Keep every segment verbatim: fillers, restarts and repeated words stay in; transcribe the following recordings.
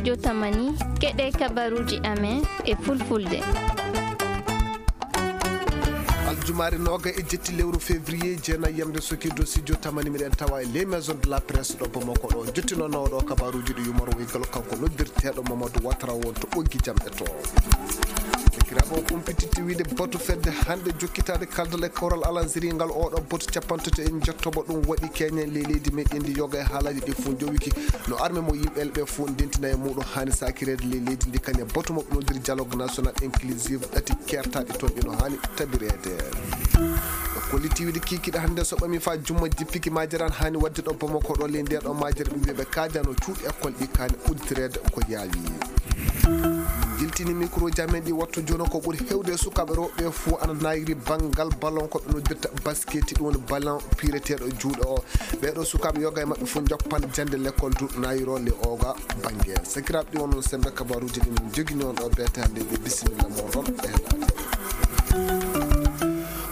Yo tamani, keɗe kabaruuji amen e fulfulde. Aljumaare nooga e jetti lewru février, jeenayi yamde soki dow studio tamani, miɗen tawa e les maisons de la presse ɗo Bamako ɗo. Jottinooɗo kabaruuji ɗi yumaro e galo kanko noddirteeɗo Mamadou Ouattara won to ɓoggi jam e to. Sakiraaɓe, on umpititti wiide batu fedde hannde jokkitaade kaldal e kawral alanziri ngal, oɗo batu capantato e njottoɓo ɗum waɗi keñen le leydi meɗen ndi yoga e haalaaji ɗi fof njowiki no arme mo yimɓe ɓe fof ndentina e muɗum haani sakireede le leydi ndi kañe batu mo ɓe nodiri dialogue national inclusive ɗati kertaɗi toon ɗi no haani tabireede. Kolliti wiide kikiɗe hannde so ɓami fa jumma jippiki majere an haani waɗde ɗo Bamako ɗo ley nde ɗo majere ɓe mbiya ɓe kaajano cuuɗi école ɗi kaani udditireede ko yaawi. Jiltini micro ji amen ɗi wattu jono ko ɓuri hewde e sukaaɓe rewɓe fof ana nayri banngal ballon ko ɓe noddirta basket ɗum woni ballon pireteeɗo juuɗe o. Ɓeeɗo sukaaɓe yoga e maɓɓe fof njoppan jannde l'école du nayro le oga bannge. Sakiraaɓe ɗi wonno sembe kabaruuji ɗi min jogini on ɗo beete hannde ɓe bisimilla moɗon e heɗaade.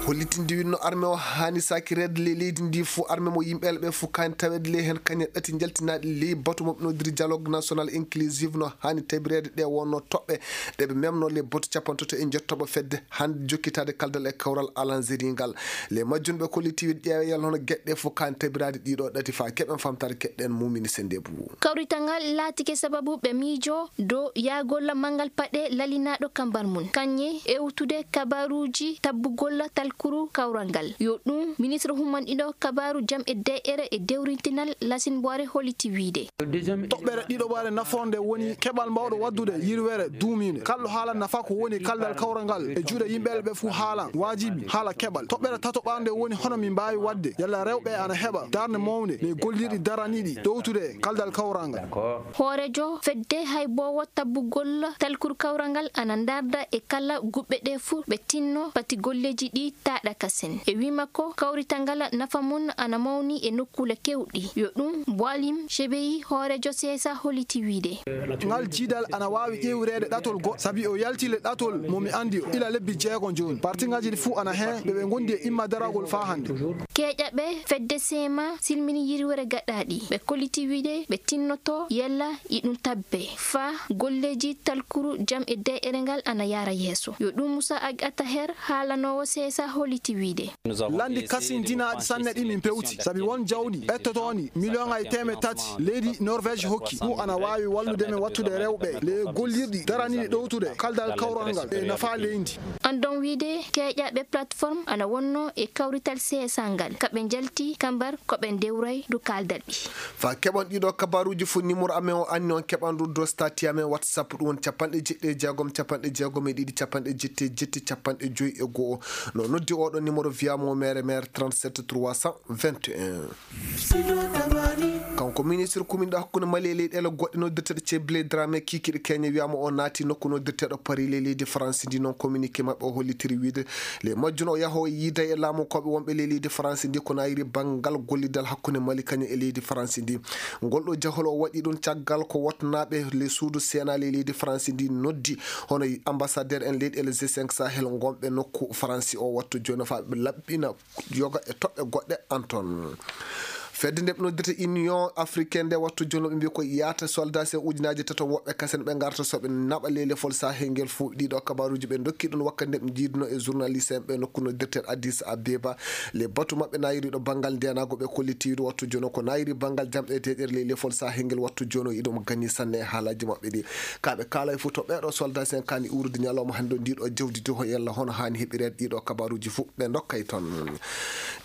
Hollitinde winno arme o haani sakireede le leydi ndi fof arme mo yimɓe ɓe fof kaani taweede le heen kañe ɗati njaltinaaɗi ley batu mo ɓe nodiri dialogue national inclusive no haani tabireede ɗe wonno toɓɓe ɗe ɓe memno le batu capantato e njottoɓo fedde hannde jokkitaade kaldal e kawral alanzeri ngal. Le majjun ɓe kolliti wiide ƴeewe yalla hono geɗe ɗe fof kaani tabiraade ɗiɗo ɗati fa keɓen famtaade keɗɗen mumini sende bu. Kawrital ngal laatike sababu ɓe miijo dow yaagol manngal paɗe lalinaaɗo kambar mum. Kañe ewtude kabaruuji tabbugol talkuru kawral ngal. Yo ɗum ministre humanɗiɗo kabaaru jam e de'ere e dewrintinal Lasin Boire holliti wiide. Toɓɓere ɗiɗoɓare nafoore nde woni keɓal mbaawɗo waɗdude yirwere duumiinde. Kalɗo haala nafa ko woni kaldal kawral ngal e juuɗe yimɓe ɓe fof haala waajibi haala keɓal. Toɓɓere tatoɓare nde woni hono min mbaawi waɗde yalla rewɓe ana heɓa darnde mawnde le gollirɗi daraniiɗi ɗowtude kaldal kawral ngal. Hooreejo fedde hayboowo tabbugol talkuru kawral ngal ana ndarda e kala guɓɓe ɗe fuu ɓe tinno pati golleeji ɗi taaɗa kasen. E wii makko, kawrital ngal nafa mum ana mawni e nokkuule keewɗi. Yo ɗum Boalim Chebeyi, hooreejo C S A, holliti wiide. Ngal jiidal ana waawi ƴeewreede ɗatol goɗɗo, sabi o yalti le ɗatol mo mi anndi o ila lebbi jeego jooni. Parti ngaji ɗi fuu ana heen ɓe ɓe ngondi e imma daragol faa hannde. Keeƴaɓe fedde seema silmini yirwere gaɗaaɗi. Ɓe kolliti wiide ɓe tinnoto yalla iɗum tabbe faa golleeji talkuru jam e de'ere ngal ana yaara yeeso. Yo ɗum Musa Ag Ataher haalanoowo C S A holliti wiide. Lanndi kasindinaaɗi sanne ɗi min pewti, sabi won jawdi ɓettotoondi miliyoŋaaji teemeɗɗe tati leydi Norvège hokki. Ɗum ana waawi wallude men wattude rewɓe le gollirɗi daraniiɗi ɗowtude kaldal kawral ngal e nafa leydi. Andon wiide keeƴaɓe plateforme ana wonno e kawrital C S A ngal. Ka ɓe njalti kambar ko ɓe ndewray du kaldal ɗi. Fa keɓon ɗiɗo kabaruuji fof, numéro amen o anni on keɓan ɗum do stati amen WhatsApp ɗum woni capanɗe jeɗɗi e jeegom, capanɗe jeegom e ɗiɗi, capanɗe jetti e jetti, capanɗe joyi e go'o. No noddi oɗo numéro via mo mere mere trente-sept trois cent vingt et un. Kanko ministre kuminɗo hakkunde Mali e leyɗeele goɗɗe noddirteeɗo Ceblé Dramé kikiɗe keñe wiyama o naati nokku noddirteeɗo Paris le leydi France ndi. Noon communiqué maɓɓe o hollitiri wiide le majjun o yaho yiida e laamu koɓe wonɓe le leydi France ndi ko nayiri banngal gollidal hakkunde Mali kañum e leydi France ndi. Ngol ɗo jahol o waɗi ɗum caggal ko wotnaaɓe le suudu Sénat le leydi France ndi noddi hono ambassadeur en leyɗeele G cinq Sahel ngonɓe nokku France o wattu jooni faa ɓe laɓɓina yoga e toɓɓe goɗɗe an toon. Fedde nde ɓe noddirta Union Africaine nde wattu jooni ɓe mbi ko yaata soldat sen ujunaaji tato woɓɓe kasen ɓe ngarta so ɓe naɓa le lefol Sahel ngel fof. Ɗiɗo kabaruuji ɓe ndokki ɗum wakkati nde ɓe njiiduno e journaliste en ɓe nokku noddirten Addis Abeba. Le batu maɓɓe nayiri ɗo banngal ndenago ɓe kolliti wiide wattu jooni ko nayiri banngal jam e deƴere le lefol Sahel ngel wattu jooni iɗum gani sanne e haalaaji maɓɓe ɗi. Ka ɓe kaalay fof to ɓeeɗo soldat sen kaani uurdi ñalawma hannde o ndiɗo jawdi doho yalla hono haani heɓireede ɗiɗo kabaruuji fof ɓe ndokkay toon.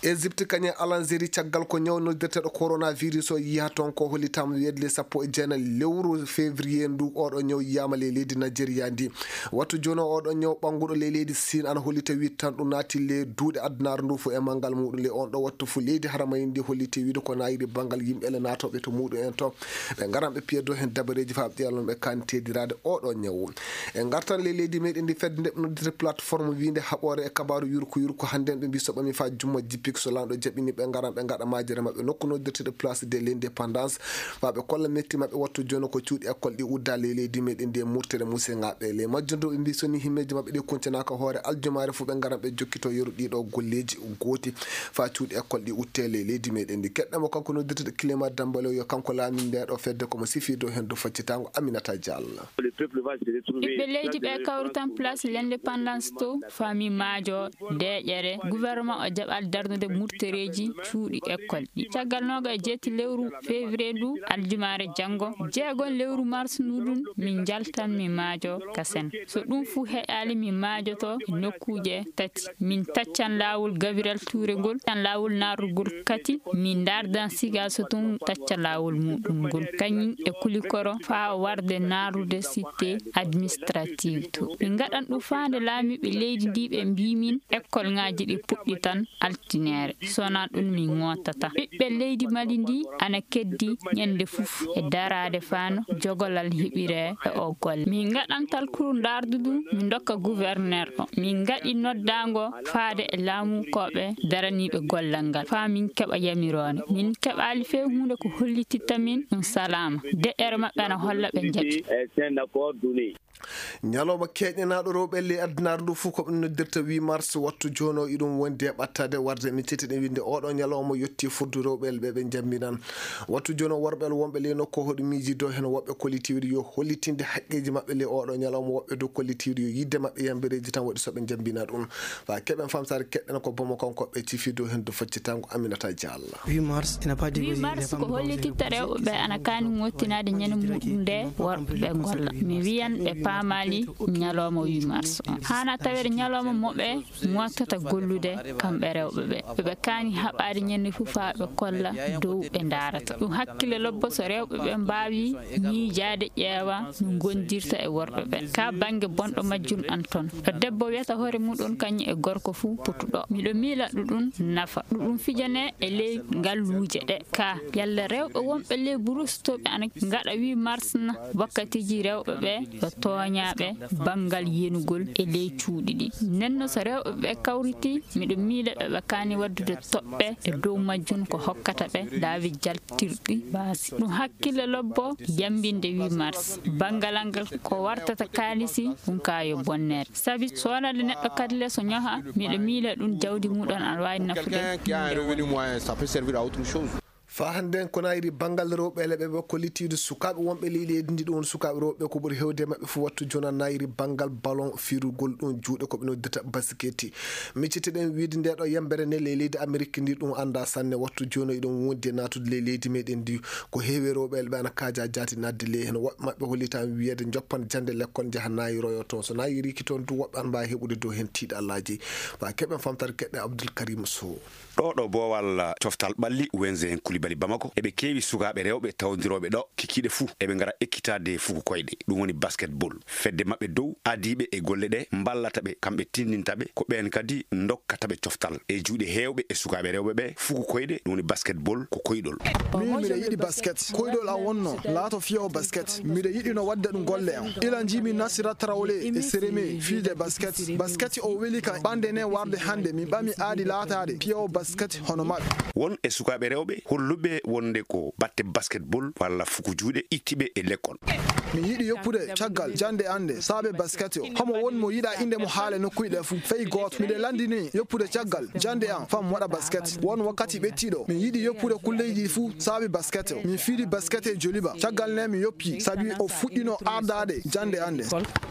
Égypte kañum e Algérie caggal ko ñaw noddirteeɗo coronavirus o yiya toon ko hollitaama weedu le sappo e jeenayi lewru février ndu oɗo ñaw yiyaama le leydi Nigeria ndi. Wattu jooni o oɗo ñaw ɓannguɗo le leydi Siin ana hollita wiide tan ɗum naati le duuɗe addunaare ndu fof e manngal muɗum le on ɗo wattu fof leydi haramay ndi holliti wiide ko nayiri banngal yimɓe le naatooɓe to muɗum en to. Ɓe ngaran ɓe piya dow heen dabareeji faa ɓe ƴeewa no ɓe kaani teediraade oɗo ñawu. E ngartan le leydi meɗen ndi fedde nde ɓe noddita plateforme wiinde haɓoore e kabaaru yurko yurko hannde ɓe mbi so ɓami faa jumma jippik so laamɗo jaɓini ɓe ngaran ɓe ngaɗa majere maɓɓe ko noddirteeɗo Place de l'Indépendance, faa ɓe kolla metti maɓɓe wattu jooni ko cuuɗi école ɗi uddaa ley leydi meɗen ndi e murtere musengaɓe. Ley majjum ɗo ɓe mbi so ni himmeeji maɓɓe ɗi kuncanaaka hoore aljumaare fuu ɓe ngaran ɓe jokkito yeru ɗiɗo golleeji gooti faa cuuɗi école ɗi utte ley leydi meɗen ndi. Keɗɗamo kanko noddirteeɗo Clément Dambalo yo kanko laami nde ɗo fedde komo sifi dow henndu faccitaango Aminata Diallo. Ɓiɓɓe leydi ɓe kawritan Place l'Indépendance to fami maajo deeƴere gouvernement o jaɓal darnude murtereeji cuuɗi école ɗi. Caggal nooga e jeetti lewru février ndu aljumaare janngo, jeegon lewru mars ndu ɗum min njaltan mi maajo kasen. So ɗum fuu heƴaali mi maajoto e nokkuuje tati. Min taccan laawol Gabriel Touré ngol, taccan laawol naarugol kati, min ndardan siga so tun tacca laawol muɗum ngol. Kañum e kulikoro faa warde naarude cité administrative to. Min ngaɗan ɗum faande laamiiɓe leydi ndi ɓe mbii min école ŋaaji ɗi puɗɗitan altineere. So wonaa ɗum min ngootata. Ɓiɓɓe leydi Mali ndi ana keddi ñande fuf e daraade fano jogolal heɓire e o golle. Min ngaɗan talkuru ndardudu, min ndokka gouverneur o. Min ngaɗi noddaango faade e laamukoɓe daraniiɓe gollal ngal. Faa min keɓa yamiroore. Min keɓaali fee huunde ko hollititta min ɗum salaama. Deƴƴere maɓɓe ana holla ɓe njaɓi. Ñalawma keeñanaaɗo rewɓe ley addunaare ndu fof ko ɓe noddirta huit mars, wattu jooni o iɗum wondi e ɓattaade warde. Min cetti ɗen winnde oɗo ñalawma yotti furdu rewɓe ɓe ɓe njambinan. Wattu jooni o worɓe wonɓe ley nokku hoɗo miijido heen woɓɓe kollitiiɗo yo hollitinde haqqeeji maɓɓe ley oɗo ñalawma, woɓɓe dow kollitiiɗo yo yidde maɓɓe yambireeji tan waɗi so ɓe njambina ɗum. Faa keɓen famtaare keɗɗen ko bomo kanko ɓe cifido heen dow faccitango Aminata Diallo. Huit mars ina padi huit mars ko hollititta rewɓe ɓe ana kaani ngottinaade ñande muɗum nde worɓe ɓe golla. Mi wiyan ɓe paamaali ñalawma huit mars o. Haana tawede ñalawma mo ɓe mottata gollude kamɓe rewɓe ɓe. Ɓe kaani haɓaade ñande fof faa ɓe kolla dow ɓe ndaarata. Ɗum hakkille lobbo so rewɓe ɓe mbaawi miijaade ƴeewa no ngondirta e worɓe ɓe. Ka bannge bonɗo majjum an toon. Ɗo debbo wiyata hoore muɗum kañum e gorko fof potuɗo. Miɗo miila ɗuɗum nafa. Ɗuɗum fijane e ley ngalluuje ɗe. Ka yalla rewɓe wonɓe ley burus to ɓe ana ngaɗa huit mars na wakkatiji rewɓe ɓe yo tooñaaɓe banngal yenugol e ley cuuɗi ɗi. Nenno so rewɓe ɓe kawriti, miɗo miila ɓe ɓe kaani waddude toɓɓe e dow majjum ko hokkata ɓe laawi jaltirɗi baasi. Ɗum hakkille lobbo yambinde huit mars. Banngal ngal ko wartata kaalisi ɗum ka yo bonnere. Sabi so wonande neɗɗo kadi le so ñoha, miɗo miila ɗum jawdi muɗum ana waawi nafude. Faa hannden ko nayri banngal rewɓe leɓe ɓe kollitiiɗo sukaaɓe wonɓe ley leydi ndi, ɗum woni sukaaɓe rewɓe ko ɓuri heewde e maɓɓe fof wattu jooni nayri banngal ballon firugol ɗum juuɗe ko ɓe noddata basiketi. Miccitiɗen wiide nde ɗo yembere ne ley leydi Amerik ndi ɗum anndaa sanne wattu jooni eɗum wondi e naatude ley leydi meɗen ndi. Ko heewi rewɓe leɓe ana kaaja jaati naatde ley heen woɓɓe maɓɓe hollitaa wiyeede njoppan jannde lekkol njaha nayroyo toon. So nayiriki toon du woɓɓe ana mbaawi heɓude dow heen tiiɗallaaji. Faa keɓen famtare keɗɗe Abdoul Karim Sow. Ɗo ɗo boowal coftal ɓalli Wenze en Koulibaly Bamako, eɓe keewi sukaaɓe rewɓe tawdirooɓe ɗo kikiiɗe fuu. Eɓe ngara ekkitaade fuku koyɗe, ɗum woni basketball. Fedde maɓɓe dow adiiɓe e golle ɗe mballata ɓe, kamɓe tinndinta ɓe, ko ɓeen kadi ndokkata ɓe coftal. E juuɗe heewɓe e sukaaɓe rewɓe ɓe, fuku koyɗe, ɗum woni basketball, ko koyɗol. Min miɗo yiɗi basket. Koyɗol am wonno laato fiyo basket. Miɗo yiɗino waɗde ɗum golle am. Ila njiimi Nasira Traoré e Sereme fiyde basket. Basket o weli ka ɓande ne warde hannde min ɓami aadi laataade piyawo basket hono maɓɓe. Won e sukaaɓe rewɓe holluɓe wonde ko batte basketball walla fuku juuɗe itti ɓe e lekkol. Min yiɗi yoppude caggal jannde an nde saabe basket o. Homo won mo yiɗa innde mo haale nokkuuji ɗe fuu? Fey gooto. Miɗo lanndini yoppude caggal jannde an fam waɗa basket. Won wakkati ɓettiiɗo min yiɗi yoppude kulleeji ɗi fuu saabe basket o. Min fiiri basket e Joliba. Caggal nde mi yoppii sabi o fuɗɗino ardaade jannde an nde.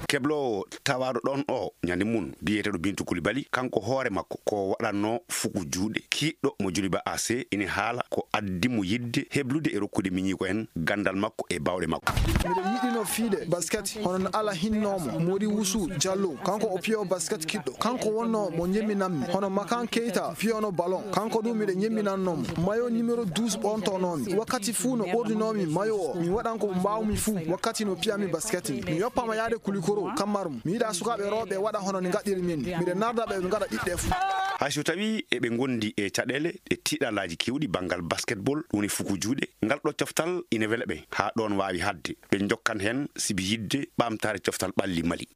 Kebloowo tawaaɗo ɗon o ñande mum biyeteeɗo Bintu Koulibaly, kanko hoore makko ko waɗatno fuku juuɗe. Kiiɗɗo mo Joliba A C ina haala ko addi mo yiɗde heblude e rokkude miñiiko en ganndal makko e baawɗe makko. Miɗo yiɗino fiide basket hono no Ala hinnoomo Mori Wusu Jallo, kanko o piyo basket kiɗɗo. Kanko wonno mo ñemminanmi hono Makan Keita piyono ballon. Kanko ɗum miɗo ñemminanno mo. Mayo numéro douze ɓortonoomi. Wakkati fuu no ɓorninoomi mayo o, mi waɗan ko mbaawmi fuu wakkati no piyami basket. Mi yoppama yaade Kulikoro, Kammarum. Mi yiɗa sukaaɓe rewɓe waɗa hono ni ngaɗɗiri min. Miɗo narda ɓe ɓe ngaɗa ɗiɗɗe fuu. Hay so tawii eɓe ngondi e caɗeele e tiiɗalaaji keewɗi banngal basketball, woni fuku juuɗe, ngal ɗo coftal ina wela ɓe haa ɗoon waawi haɗde. Ɓe njokkan heen sibi yiɗde ɓamtaare coftal ɓalli Mali.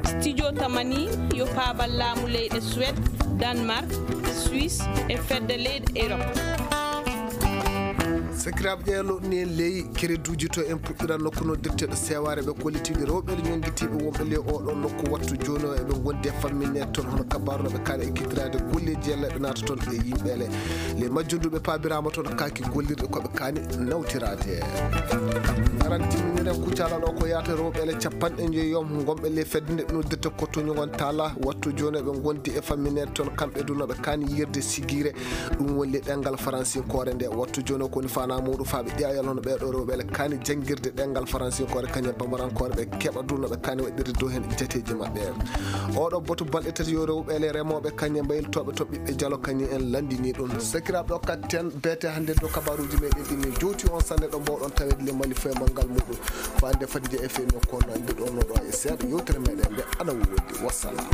Studio Tamani yo paabal laamu leyɗe Suède, Danemark, Suisse e fedde leyɗe Europe. Sakiraaɓe, ƴeeloɗni en ley kereduuji to en puɗɗiran nokku noddirteeɗo seewaare ɓe kollitiiɓe rewɓe ñonngitiiɓe wonɓe ley oɗo nokku wattu jooni o eɓe ngondi e famminneede toon hono kabaaru no ɓe kaani ekkitiraade golleeji yalla ɓe naata toon e yimɓeele. Ley majjunduɓe paabiraama toon kaaki gollirɗe ko ɓe kaani nawtiraade. Ngaran timminiren kucala ɗo ko yaata rewɓeele capanɗe njoyi yom ngonɓe ley fedde nde ɓe noddirta kottoñu ngon taala wattu jooni ɓe ngondi e famminneede toon kamɓe du no ɓe kaani yirde sigiire. Ɗum woni ɗemngal faransinkoore nde wattu jooni o koni fana muɗum faaɓe ƴeewal hono ɓeeɗo rewɓe ele kaani janngirde ɗemngal faransinkoore kañum bamarankoore ɓe keɓa du no ɓe kaani waɗirde dow heen jateeji maɓɓe. Oɗo boto balɗe tati yo rewɓe ele remooɓe kañum mbaylotooɓe to ɓiɓɓe jalo kañum en lanndini ɗum sakiraaɓe o katten beete hannde dow kabaruuji meɗen ɗi min jowti on sanne ɗo mbawɗon taweede le mali foye manngal muɗum. Ko hannde fati nde e femi kono mbiɗon no ɗo e seeɗa yewtere meɗen nde ana woodi wassalam.